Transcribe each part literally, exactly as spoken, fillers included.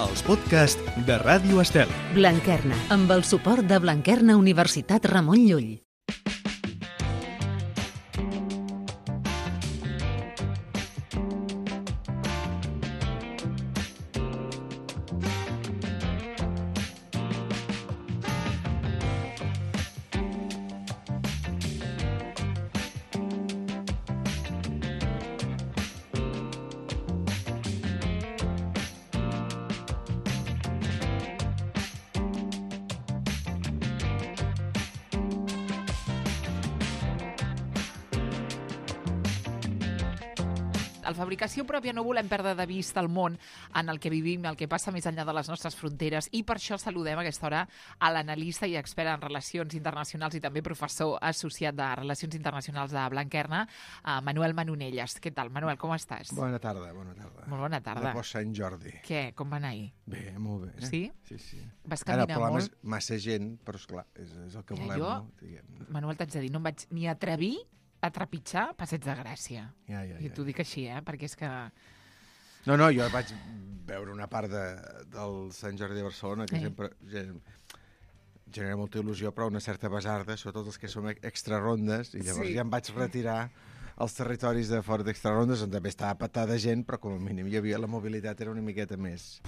els podcasts de Ràdio Estel. Blanquerna, amb el suport de Blanquerna Universitat Ramon Llull. La fabricació pròpia no volem perdre de vista el món en el que vivim, el que passa més enllà de les nostres fronteres, i per això saludem a aquesta hora a l'analista i expert en relacions internacionals i també professor associat de Relacions Internacionals de Blanquerna, Manuel Manonelles. Què tal, Manuel, com estàs? Bona tarda, bona tarda. Molt bona tarda. De post Sant Jordi. Què, com va anar ahir? Bé, molt bé. Eh? Sí? Sí, sí. Vas caminar Ara, molt? Ara, massa gent, però esclar, és, és el que Ja, volem, jo, no? Diguem. Manuel, t'haig de dir, no em vaig ni atrevir a trepitjar Passeig de Gràcia. Ja, ja, I ja. t'ho dic així, eh? Perquè és que... No, no, jo vaig veure una part de, del Sant Jordi de Barcelona que Eh. sempre gen- genera molta il·lusió, però una certa besarda, sobretot els que som extrarondes, i llavors Sí. ja em vaig retirar als territoris de fora d'extrarondes, on també estava petada de gent, però com a mínim hi havia la mobilitat, era una miqueta més...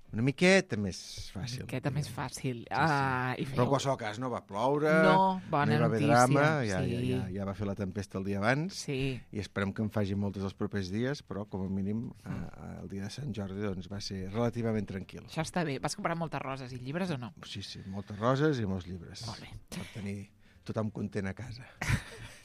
Una miqueta més fàcil. Una miqueta més fàcil. sí. Ah, i Però en fèieu... qualsevol cas no va ploure, No, bona no hi va haver notícia, drama, ja, sí. ja, ja, ja va fer la tempesta el dia abans, Sí. i esperem que en faci moltes els propers dies, però com a mínim eh, el dia de Sant Jordi doncs, va ser relativament tranquil. Això està bé. Vas comprar moltes roses i llibres o no? Sí, sí, moltes roses i molts llibres. Molt bé. Per tenir tothom content a casa.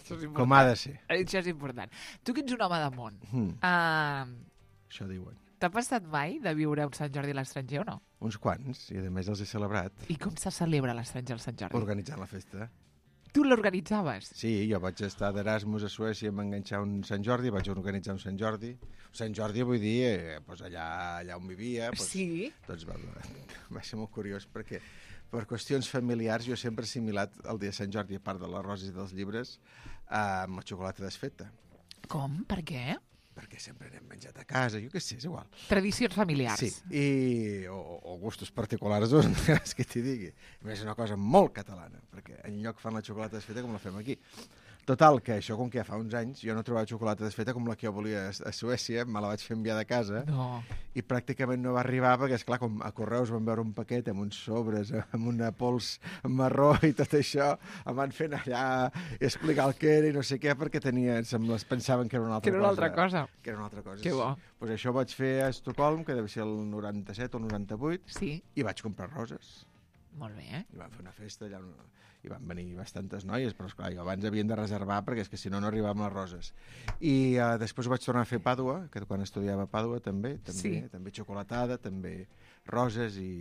Això és Com ha de ser. Això és important. Tu que ets un home de món, Mm, uh, això diuen. t'ha passat mai de viure un Sant Jordi a l'estranger o no? Uns quants, i a més els he celebrat I com se celebra a l'estranger el Sant Jordi? organitzant la festa. Tu l'organitzaves? Sí, jo vaig estar d'Erasmus a Suècia, em va enganxar un Sant Jordi, vaig organitzar un Sant Jordi. Sant Jordi vull dir, eh, doncs allà, allà on vivia. Doncs, Sí. Doncs va, va ser molt curiós perquè per qüestions familiars jo sempre he assimilat el dia de Sant Jordi, a part de les roses i dels llibres, eh, amb la xocolata desfeta. Com? Per què? Perquè sempre n'hem menjat a casa, jo què sé, és igual. Tradicions familiars. Sí, i, o, o gustos particulars, doncs, és que t'hi digui. A més, és una cosa molt catalana, perquè enlloc fan la xocolata desfeta com la fem aquí. Total, que això, com que ja fa uns anys, jo no trobava xocolata desfeta com la que jo volia a Suècia, me la vaig fer enviar de casa, No. i pràcticament no va arribar, perquè, esclar, com a Correus van veure un paquet amb uns sobres, amb una pols marró i tot això, em van fer anar allà i explicar el que era i no sé què, perquè tenien, sembla, es pensaven que era una altra Que era cosa. una altra cosa. Que era una altra cosa. Que bo. Pues això ho vaig fer a Estocolm, que deu ser el noranta-set o el noranta-vuit, Sí. i vaig comprar roses. Molt bé, eh? I vam fer una festa allà, una... i van venir bastantes noies, però esclar, jo abans havien de reservar perquè és que si no no arribàvem les roses. I uh, després ho vaig tornar a fer a Pàdua, que quan estudiava a Pàdua també, també, Sí. també xocolatada, també roses i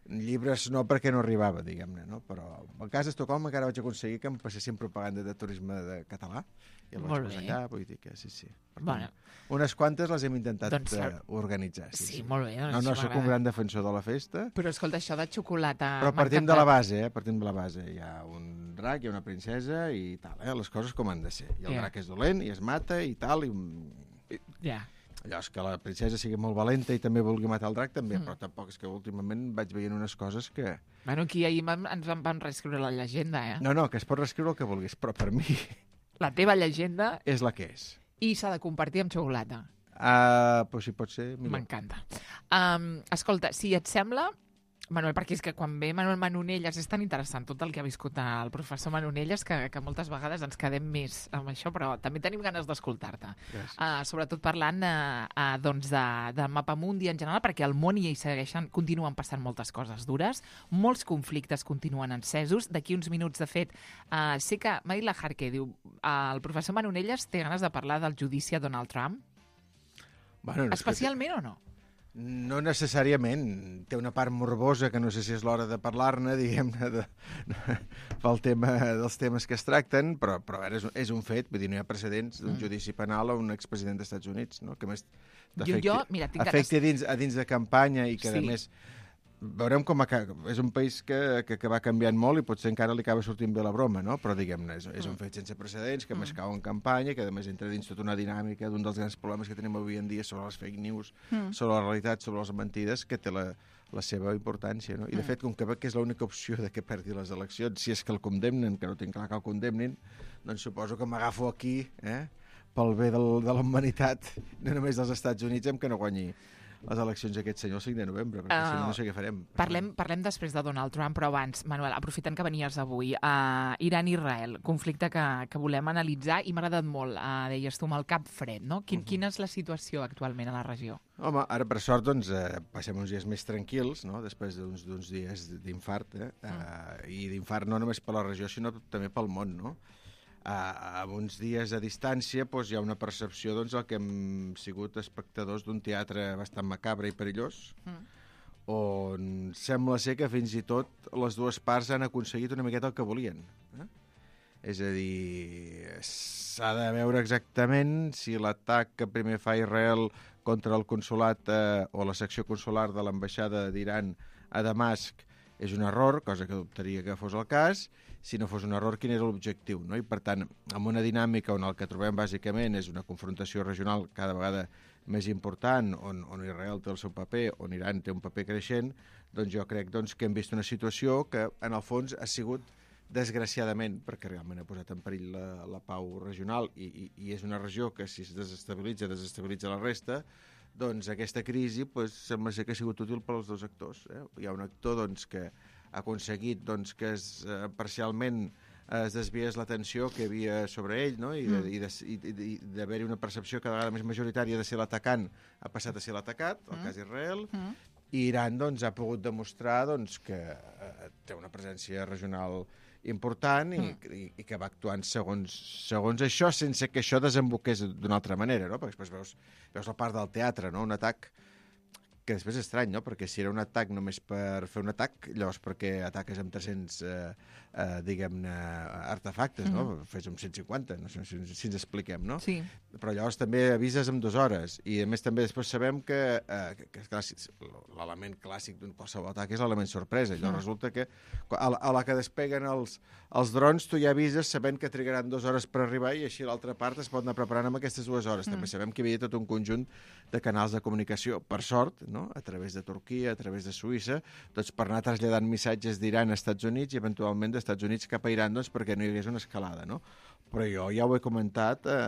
llibres no perquè no arribava, diguem-ne, no? Però a casa d'Estocolm encara vaig aconseguir que em passessin propaganda de turisme de català i el vaig Molt posar bé. allà, vull dir que sí, sí. Per Bueno. tant, unes quantes les hem intentat Doncs, eh, organitzar. Sí, molt bé. Doncs No, no això sóc un m'agrada. gran defensor de la festa, Però escolta, això de xocolata... però m'ha partim de la encantat. base, eh? Partim de la base. Hi ha un drac, hi ha una princesa i tal, eh? Les coses com han de ser. I el Ja. drac és dolent i es mata i tal, i... Ja. allò és que la princesa sigui molt valenta i també vulgui matar el drac, també, Mm. però tampoc és que últimament vaig veient unes coses que... Bueno, aquí ahir vam- ens en van reescriure la llegenda, eh? No, no, que es pot reescriure el que vulguis, però per mi La teva llegenda, és la que és. i s'ha de compartir amb xocolata. Uh, però si pot ser, millor. M'encanta. Um, escolta, si et sembla, Manuel, perquè és que quan ve Manuel Manonelles és tan interessant tot el que ha viscut el professor Manonelles que, que moltes vegades ens quedem més amb això, però també tenim ganes d'escoltar-te. Gràcies. Uh, sobretot parlant uh, uh, doncs de, de Mapamundi en general, perquè al món hi segueixen, continuen passant moltes coses dures, molts conflictes continuen encesos. D'aquí uns minuts, de fet, uh, sé que Maila Harke diu uh, el professor Manonelles té ganes de parlar del judici a Donald Trump. Bueno, no és que- Especialment o no? No necessàriament. Té una part morbosa que no sé si és l'hora de parlar-ne, diguem-ne, de, pel tema dels temes que es tracten, però, però a veure, és, un- és un fet, vull dir, no hi ha precedents d'un Mm. judici penal a un expresident dels Estats Units, no? Que a més Jo, jo, mira, tinc ganes... afecti a dins, a dins de campanya i que, Sí. a més, veurem com acaba. És un país que, que, que va canviant molt i potser encara li acaba sortint bé la broma, no? Però diguem-ne, és, és un fet sense precedents, que mm. m'escau en campanya, que a més entra dins tota una dinàmica d'un dels grans problemes que tenim avui en dia sobre les fake news, mm. sobre la realitat, sobre les mentides, que té la, la seva importància, no? I de mm. fet, com que veig que és l'única opció de que perdi les eleccions, si és que el condemnen, que no tinc clar que el condemnin, doncs suposo que m'agafo aquí, eh? pel bé del, de la humanitat, no només dels Estats Units, amb que no guanyi les eleccions aquest senyor el cinc de novembre, perquè uh, si no, no sé què farem. Parlem, parlem després de Donald Trump, però abans, Manuel, aprofitant que venies avui, uh, Iran-Israel, conflicte que, que volem analitzar, i m'ha agradat molt, uh, deies tu, amb el cap fred, no? Quin, uh -huh. Quina és la situació actualment a la regió? Home, ara, per sort, doncs, eh, passem uns dies més tranquils, no?, després d'uns dies d'infart, eh? Uh, uh, i d'infart no només per la regió, sinó també pel món, no? A, a uns dies de distància doncs, hi ha una percepció doncs, el que hem sigut espectadors d'un teatre bastant macabre i perillós, mm. on sembla ser que fins i tot les dues parts han aconseguit una miqueta el que volien. Eh? És a dir, s'ha de veure exactament si l'atac que primer fa Israel contra el consolat eh, o la secció consular de l'ambaixada d'Iran a Damasc és un error, cosa que dubtaria que fos el cas. Si no fos un error, quin era l'objectiu, no? I, per tant, amb una dinàmica on el que trobem bàsicament és una confrontació regional cada vegada més important, on, on Israel té el seu paper, on Iran té un paper creixent, doncs jo crec doncs, que hem vist una situació que, en el fons, ha sigut, desgraciadament, perquè realment ha posat en perill la, la pau regional i, i, i és una regió que, si es desestabilitza, desestabilitza la resta, doncs aquesta crisi pues, sembla ser que ha sigut útil per als dos actors. Eh? Hi ha un actor doncs, que ha aconseguit doncs, que es, eh, parcialment es desviés l'atenció que hi havia sobre ell, no? I, de, mm. i d'haver-hi una percepció cada vegada més majoritària de ser l'atacant ha passat a ser l'atacat, el mm. cas Israel, mm. i Iran doncs, ha pogut demostrar doncs, que eh, té una presència regional important i, mm. i, i que va actuant segons, segons això, sense que això desemboqués d'una altra manera, no? Perquè després veus, veus la part del teatre, no? Un atac que després és estrany, no? Perquè si era un atac només per fer un atac, llavors perquè ataques amb tres-cents, eh, eh, diguem-ne, artefactes, no? Mm. Fes amb cent cinquanta, no sé si, si ens expliquem, no? Sí. Però llavors també avises amb dues hores, i a més també després sabem que, eh, que, que clar, l'element clàssic d'un qualsevol atac és l'element sorpresa. Llavors mm. resulta que a la, a la que despeguen els, els drons tu ja avises sabent que trigaran dues hores per arribar i així l'altra part es pot anar preparant amb aquestes dues hores. Mm. També sabem que hi havia tot un conjunt de canals de comunicació, per sort, no? A través de Turquia, a través de Suïssa, doncs per anar traslladant missatges d'Iran a Estats Units i eventualment d'Estats Units cap a Iran doncs, perquè no hi hagués una escalada, no? Però jo ja ho he comentat eh,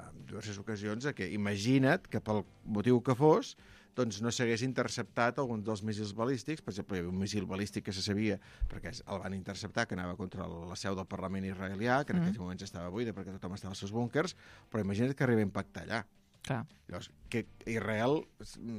en diverses ocasions, que imagina't que pel motiu que fos doncs no s'hagués interceptat algun dels míssils balístics. Per exemple, hi havia un míssil balístic que se sabia, perquè el van interceptar, que anava contra la seu del Parlament israelià, que en mm. aquells moments estava buida perquè tothom estava als seus búnkers, però imagina't que arriba a impactar allà. Clar. Llavors, que Israel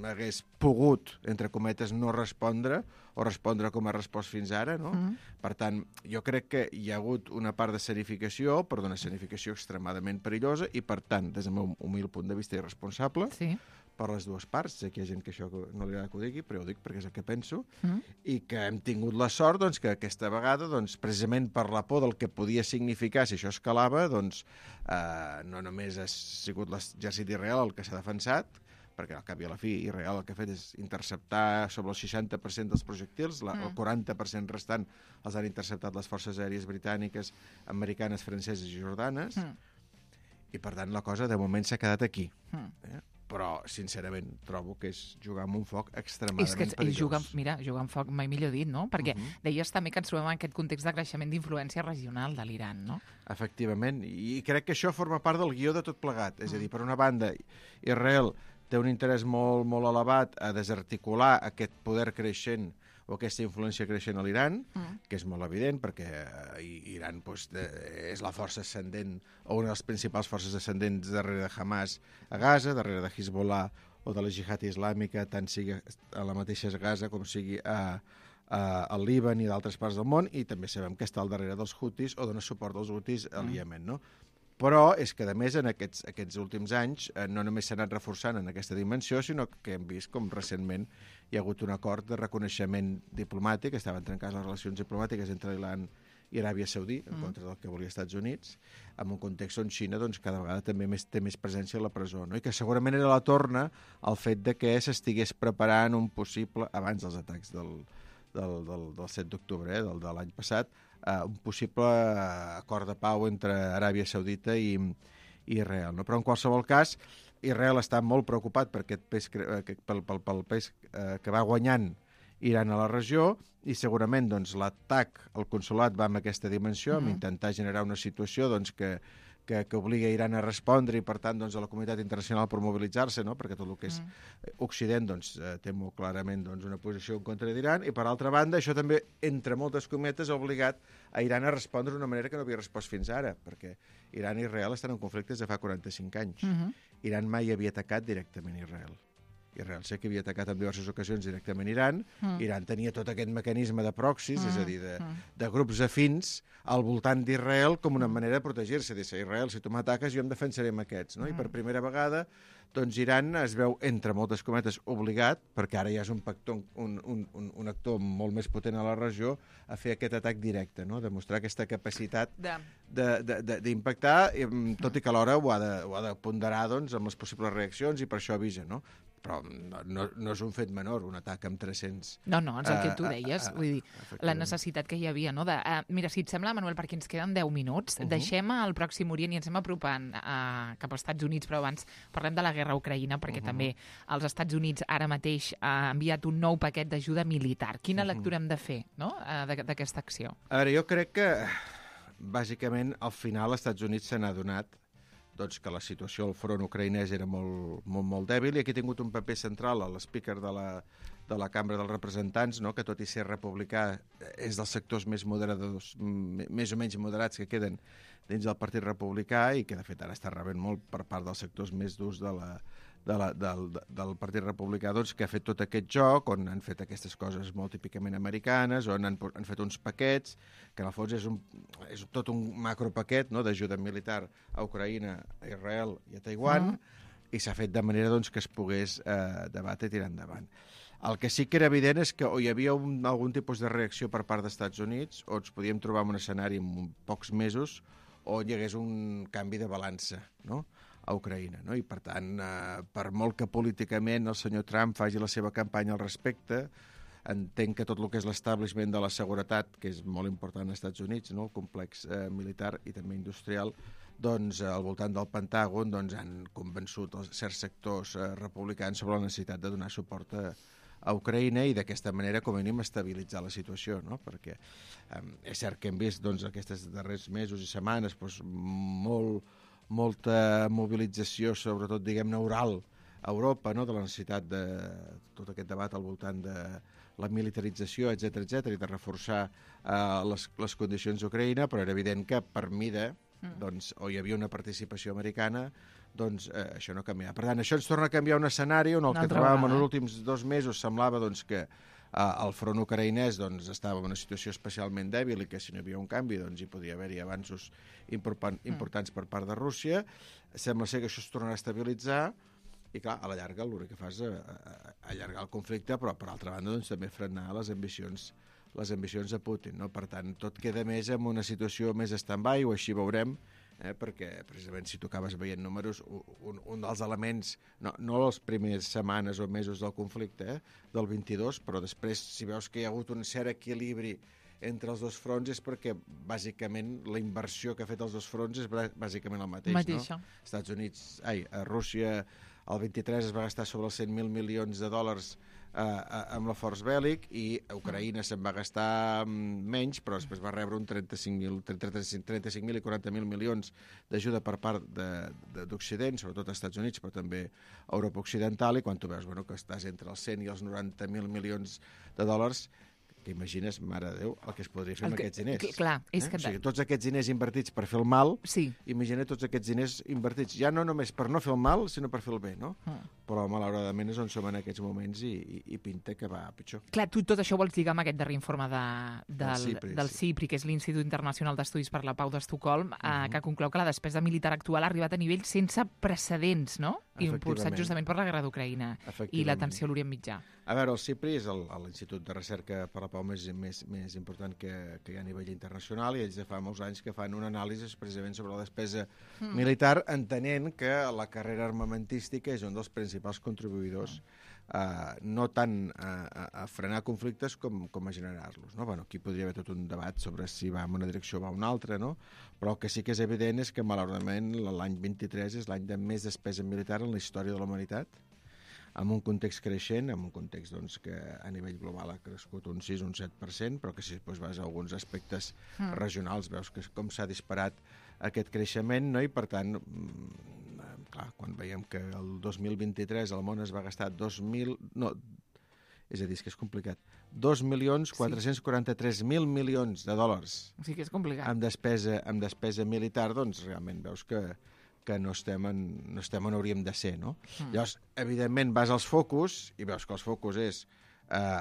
hagués pogut, entre cometes, no respondre o respondre com ha respost fins ara, no? Mm. Per tant, jo crec que hi ha hagut una part de escenificació, però d'una escenificació extremadament perillosa i, per tant, des del meu humil punt de vista irresponsable, sí. per les dues parts. Sé que hi ha gent que això no li agrada que ho digui, però ho dic perquè és el que penso, mm. i que hem tingut la sort doncs, que aquesta vegada, doncs, precisament per la por del que podia significar si això escalava, doncs, eh, no només ha sigut l'exèrcit d'Israel el que s'ha defensat, perquè al cap i a la fi Israel el que ha fet és interceptar sobre el seixanta per cent dels projectils, la, mm. el quaranta per cent restant els han interceptat les forces aèries britàniques, americanes, franceses i jordanes, mm. i per tant la cosa de moment s'ha quedat aquí. Mm. Eh? Però, sincerament, trobo que és jugar amb un foc extremadament és que perillós. Jugar, mira, jugar amb foc, mai millor dit, no? Perquè uh -huh. deies també que ens trobem en aquest context de creixement d'influència regional de l'Iran, no? Efectivament, i crec que això forma part del guió de tot plegat. És a dir, per una banda, Israel té un interès molt, molt elevat a desarticular aquest poder creixent o aquesta influència creixent a l'Iran, mm. que és molt evident, perquè Iran doncs, de, és la força ascendent, o una de les principals forces ascendents darrere de Hamas a Gaza, darrere de Hezbollah o de la Jihad Islàmica, tant sigui a la mateixa Gaza com sigui a, a, al Líban i d'altres parts del món, i també sabem que està al darrere dels Houthis o dona suport als Houthis al mm. Iemen, no? Però és que, a més, en aquests, aquests últims anys eh, no només s'ha anat reforçant en aquesta dimensió, sinó que hem vist com recentment hi ha hagut un acord de reconeixement diplomàtic, estaven trencades les relacions diplomàtiques entre l'Iran i Aràbia Saudí, en mm. contra del que volia Estats Units, en un context on Xina doncs, cada vegada també més, té més presència a la presó, no? I que segurament era la torna al fet de que s'estigués preparant un possible, abans dels atacs del, del, del, del set d'octubre, eh, del, de l'any passat, uh, un possible acord de pau entre Aràbia Saudita i, i Israel. No? Però en qualsevol cas, Israel està molt preocupat per aquest pes, pel, pel, pel pes uh, que va guanyant Iran a la regió, i segurament doncs, l'atac al consolat va amb aquesta dimensió, mm. amb intentar generar una situació doncs, que, que, que obliga Iran a respondre i, per tant, doncs, a la comunitat internacional per mobilitzar-se, no? Perquè tot el que és mm. Occident doncs, té molt clarament doncs, una posició en contra d'Iran, i, per altra banda, això també, entre moltes cometes, ha obligat a Iran a respondre d'una manera que no havia respost fins ara, perquè Iran i Israel estan en conflictes de fa quaranta-cinc anys. Mm-hmm. Iran mai havia atacat directament Israel. Israel sé que havia atacat en diverses ocasions directament Iran. Mm. Iran tenia tot aquest mecanisme de proxys, mm. és a dir, de, mm. de grups afins al voltant d'Israel com una manera de protegir-se. Dir, Israel, si tu m'ataques, jo em defensaré amb aquests. No? Mm. I per primera vegada, doncs Iran es veu, entre moltes cometes, obligat, perquè ara ja és un, pactor, un, un, un, un actor molt més potent a la regió, a fer aquest atac directe, no? Demostrar aquesta capacitat d'impactar, tot i que alhora ho ha de, ho ha de ponderar doncs, amb les possibles reaccions, i per això avisa, no? Però no, no, no és un fet menor, un atac amb tres-cents... No, no, és el que tu deies, uh, uh, uh, vull dir, la necessitat que hi havia, no? De, uh, mira, si et sembla, Manuel, perquè ens queden deu minuts, uh -huh. deixem el Pròxim Orient i ens anem apropant uh, cap als Estats Units, però abans parlem de la guerra a Ucraïna, perquè uh -huh. també els Estats Units ara mateix ha enviat un nou paquet d'ajuda militar. Quina uh -huh. lectura hem de fer, no?, uh, d'aquesta acció? A veure, jo crec que, bàsicament, al final, els Estats Units se n'ha adonat doncs, que la situació al front ucraïnès era molt, molt, molt dèbil, i aquí ha tingut un paper central l'speaker de la, de la Cambra dels Representants, no? Que tot i ser republicà és dels sectors més moderadors, més o menys moderats que queden dins del Partit Republicà, i que de fet ara està rebent molt per part dels sectors més durs de la, de la, del, del Partit Republicà, doncs, que ha fet tot aquest joc, on han fet aquestes coses molt típicament americanes, on han, han fet uns paquets, que en el fons és, un, és tot un macropaquet, no?, d'ajuda militar a Ucraïna, a Israel i a Taiwan, mm. i s'ha fet de manera doncs, que es pogués eh, debatre i tirar endavant. El que sí que era evident és que o hi havia un, algun tipus de reacció per part dels Estats Units, o ens podíem trobar en un escenari en pocs mesos, o hi hagués un canvi de balança, no?, a Ucraïna, no? I per tant, eh, per molt que políticament el senyor Trump faci la seva campanya al respecte, entenc que tot el que és l'establishment de la seguretat, que és molt important als Estats Units, no?, el complex eh, militar i també industrial, doncs al voltant del Pentàgon doncs, han convençut els certs sectors eh, republicans sobre la necessitat de donar suport a, a Ucraïna, i d'aquesta manera com a mínim estabilitzar la situació, no? Perquè eh, és cert que hem vist doncs, aquests darrers mesos i setmanes doncs, molt molta mobilització, sobretot, diguem-ne, oral a Europa, no?, de la necessitat de tot aquest debat al voltant de la militarització, etcètera, etcètera, i de reforçar uh, les, les condicions d'Ucraïna, però era evident que per mida, mm. doncs, o hi havia una participació americana, doncs eh, això no canviava. Per tant, això ens torna a canviar un escenari on el que trobàvem en els últims dos mesos semblava doncs, que Uh, el front ucraïnès doncs, estava en una situació especialment dèbil, i que si no hi havia un canvi doncs, hi podia haver-hi avanços important, importants per part de Rússia. Sembla ser que això es tornarà a estabilitzar, i clar, a la llarga l'únic que fa és a, a, a allargar el conflicte, però per altra banda doncs, també frenar les ambicions, les ambicions de Putin, no? Per tant, tot queda més en una situació més stand-by, o així veurem, eh, perquè precisament si tu acabes veient números, un, un dels elements, no, no les primeres setmanes o mesos del conflicte, eh, del vint-i-dos, però després si veus que hi ha hagut un cert equilibri entre els dos fronts, és perquè bàsicament la inversió que ha fet els dos fronts és bàsicament el mateix, Mateixa. no? Estats Units, ai, a Rússia el vint-i-tres es va gastar sobre els cent mil milions de dòlars eh, amb l'esforç bèl·lic, i a Ucraïna se'n va gastar menys, però després va rebre un trenta-cinc mil i quaranta mil milions d'ajuda per part d'Occident, sobretot als Estats Units, però també a Europa Occidental, i quan tu veus bueno, que estàs entre els cent i els noranta mil milions de dòlars, que imagines, mare de Déu, el que es podria fer el amb que, aquests diners. Clar, és eh? que... O sigui, tots aquests diners invertits per fer el mal, sí. Imagina tots aquests diners invertits, ja no només per no fer el mal, sinó per fer el bé, no? Mm. Però malauradament és on som en aquests moments, i, i, i pinta que va pitjor. Clar, tu tot això vols lligar amb aquest darrer informe de, del, CIPRI, del CIPRI, sí. que és l'Institut Internacional d'Estudis per la Pau d'Estocolm, uh -huh. eh, que conclou que la despesa militar actual ha arribat a nivells sense precedents, no? Impulsat justament per la guerra d'Ucraïna i la tensió a l'Orient Mitjà. A veure, el CIPRI és l'Institut de Recerca per la la pau més, més, més important que, que hi ha a nivell internacional, i ells de fa molts anys que fan una anàlisi precisament sobre la despesa mm. militar, entenent que la carrera armamentística és un dels principals contribuïdors Uh, no tant a, a, a frenar conflictes com, com a generar-los. No? Bueno, aquí podria haver tot un debat sobre si va en una direcció o va en una altra, no? Però el que sí que és evident és que, malauradament, l'any vint-i-tres és l'any de més despesa militar en la història de la humanitat, amb un context creixent, amb un context doncs, que a nivell global ha crescut un sis o un set per cent, però que si després vas a alguns aspectes mm. regionals veus que com s'ha disparat aquest creixement, no? I per tant, clar, quan veiem que el dos mil vint-i-tres el món es va gastar dos mil... No, és a dir, és que és complicat. dos milions quatre-cents quaranta-tres mil milions de dòlars. Sí que és complicat. Amb despesa, amb despesa militar, doncs realment veus que, que no, estem en, no estem on hauríem de ser, no? Mm. Llavors, evidentment, vas als focus i veus que els focus és, eh,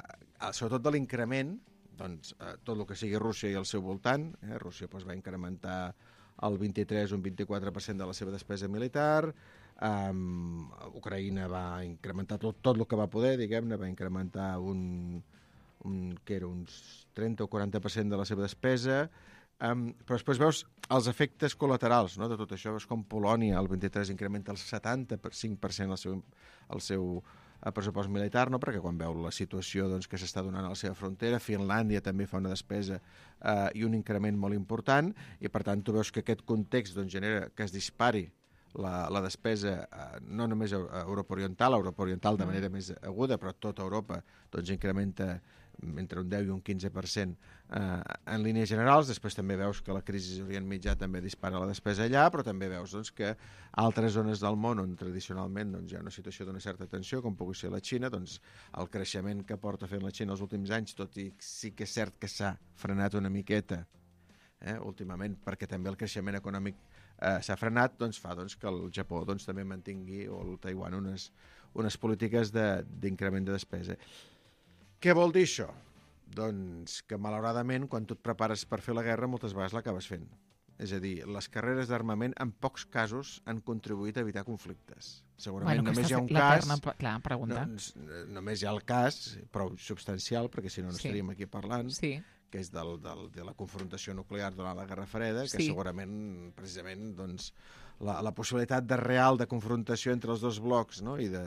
sobretot de l'increment, doncs, eh, tot el que sigui Rússia i el seu voltant. Eh? Rússia doncs, va incrementar el vint-i-tres un vint-i-quatre per cent de la seva despesa militar, um, Ucraïna va incrementar tot, tot el que va poder, diguem-ne, va incrementar un, un, que era uns trenta o quaranta per cent de la seva despesa, um, però després veus els efectes col·laterals, no?, de tot això. Veus com Polònia el vint-i-tres incrementa el setanta-cinc per cent el seu, el seu el pressupost militar, no? Perquè quan veu la situació doncs, que s'està donant a la seva frontera, Finlàndia també fa una despesa eh, i un increment molt important, i per tant tu veus que aquest context doncs, genera que es dispari la, la despesa eh, no només a Europa Oriental, a Europa Oriental de manera més aguda, però tota Europa doncs, incrementa entre un deu i un quinze per cent eh, en línies generals. Després també veus que la crisi d'Orient Mitjà també dispara la despesa allà, però també veus doncs, que altres zones del món on tradicionalment doncs, hi ha una situació d'una certa tensió, com pugui ser la Xina, doncs el creixement que porta fent la Xina els últims anys, tot i sí que és cert que s'ha frenat una miqueta eh, últimament, perquè també el creixement econòmic eh, s'ha frenat, doncs fa doncs, que el Japó doncs, també mantingui, o el Taiwan, unes, unes polítiques d'increment de, de despesa. Què vol dir això? Doncs que, malauradament, quan tu et prepares per fer la guerra, moltes vegades l'acabes fent. És a dir, les carreres d'armament, en pocs casos, han contribuït a evitar conflictes. Segurament bueno, només hi ha un cas... Clar, pregunta. No, només hi ha el cas, prou substancial, perquè si no, no sí. estaríem aquí parlant, sí. que és del, del, de la confrontació nuclear durant la Guerra Freda, que sí. segurament, precisament, doncs, la, la possibilitat de real de confrontació entre els dos blocs, no? I, de,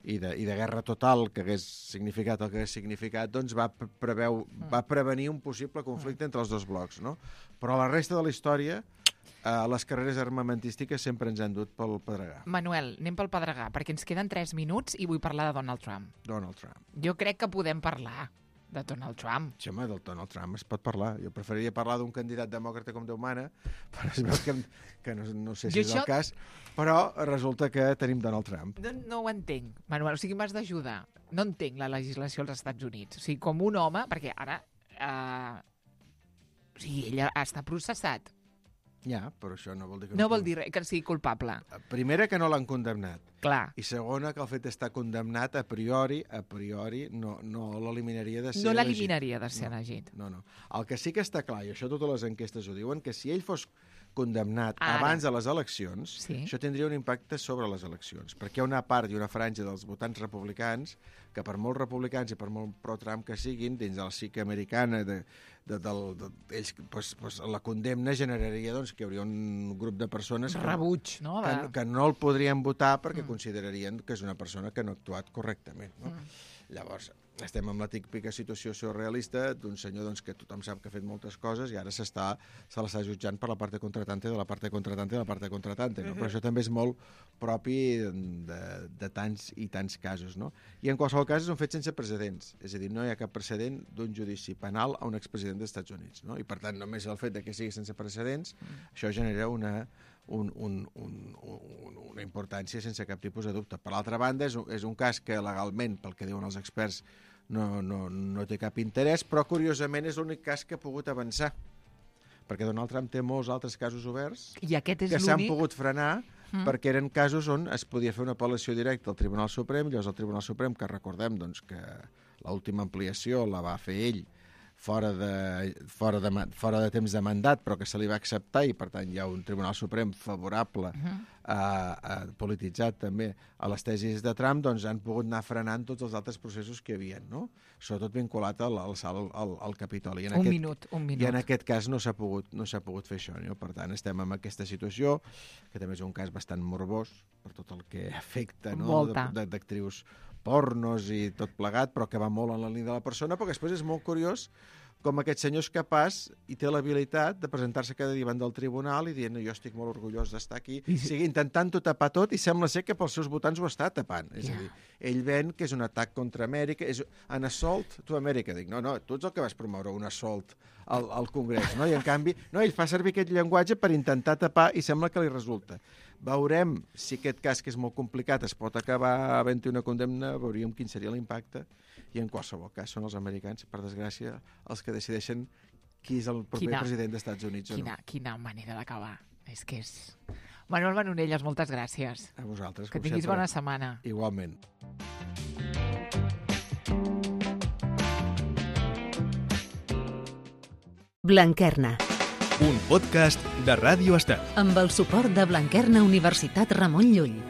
i, de, i de guerra total que hagués significat el que hagués significat, doncs va, preveu, va prevenir un possible conflicte entre els dos blocs, no? Però a la resta de la història, eh, les carreres armamentístiques sempre ens han dut pel pedregar. Manuel, anem pel pedregar, perquè ens queden tres minuts i vull parlar de Donald Trump. Donald Trump. Jo crec que podem parlar de Donald Trump. Sí, home, del Donald Trump es pot parlar. Jo preferiria parlar d'un candidat demòcrata com Déu mana, però es veu que, que no, no sé si jo és això... el cas, però resulta que tenim Donald Trump. No, no ho entenc, Manuel. O sigui, m'has d'ajudar. No entenc la legislació als Estats Units. O sigui, com un home, perquè ara... Eh... O sigui, ell està processat. Ja, però això no vol dir que... No, no vol dir que sigui culpable. Primera, que no l'han condemnat. Clar. I segona, que el fet d'estar condemnat a priori, a priori, no, no l'eliminaria de ser No l'eliminaria de ser elegit. No, no, no. El que sí que està clar, i això totes les enquestes ho diuen, que si ell fos condemnat Ara. abans de les eleccions, sí. això tindria un impacte sobre les eleccions, perquè hi ha una part i una franja dels votants republicans que per molts republicans i per molt pro-Trump que siguin, dins de la psique americana, de, de, del, de, ells, pues, pues, la condemna generaria doncs, que hi hauria un grup de persones que, rebuig, no? que, que no el podrien votar perquè mm. considerarien que és una persona que no ha actuat correctament. No? Mm. Llavors, estem en la típica situació surrealista d'un senyor doncs, que tothom sap que ha fet moltes coses i ara s'està se l'està jutjant per la part contratante de la part contratante de la part contratante. No? Però això també és molt propi de, de tants i tants casos. No? I en qualsevol cas és un fet sense precedents. És a dir, no hi ha cap precedent d'un judici penal a un expresident dels Estats Units. No? I per tant, només el fet de que sigui sense precedents, mm. això genera una... Un, un, un, un, una importància sense cap tipus de dubte. Per l'altra banda, és un, és un cas que legalment, pel que diuen els experts, no, no, no té cap interès, però curiosament és l'únic cas que ha pogut avançar. Perquè Donald Trump té molts altres casos oberts I aquest és que s'han pogut frenar mm. perquè eren casos on es podia fer una apel·lació directa al Tribunal Suprem, llavors el Tribunal Suprem, que recordem doncs, que l'última ampliació la va fer ell fora de, fora, de, fora de temps de mandat, però que se li va acceptar i, per tant, hi ha un Tribunal Suprem favorable, uh-huh. a, a, polititzat també, a les tesis de Trump, doncs han pogut anar frenant tots els altres processos que hi havia, no? Sobretot vinculat al, al salt al, al, al Capitoli. En un aquest, minut, un minut. I en aquest cas no s'ha pogut, no s'ha pogut fer això, no? Per tant, estem en aquesta situació, que també és un cas bastant morbós, per tot el que afecta, no? D'actrius pornos i tot plegat, però que va molt en la línia de la persona, però després és molt curiós com aquest senyor és capaç i té l'habilitat de presentar-se cada dia davant del tribunal i dient jo estic molt orgullós d'estar aquí, I... sigui, intentant-ho tapar tot i sembla ser que pels seus votants ho està tapant. És yeah. a dir, ell ven que és un atac contra Amèrica, és an assault to America. Dic, no, no, tu ets el que vas promoure un assault al, al Congrés, no? I en canvi, no, ell fa servir aquest llenguatge per intentar tapar i sembla que li resulta. Veurem si aquest cas, que és molt complicat, es pot acabar havent-hi una condemna, veuríem quin seria l'impacte, i en qualsevol cas són els americans, per desgràcia, els que decideixen qui és el proper quina, president dels Estats Units. Quina, o no. quina manera d'acabar. És que és... Manuel Manonelles, moltes gràcies. A vosaltres, que com tinguis sempre. Bona setmana. Igualment. Blanquerna. Un podcast de Ràdio Estel. Amb el suport de Blanquerna Universitat Ramon Llull.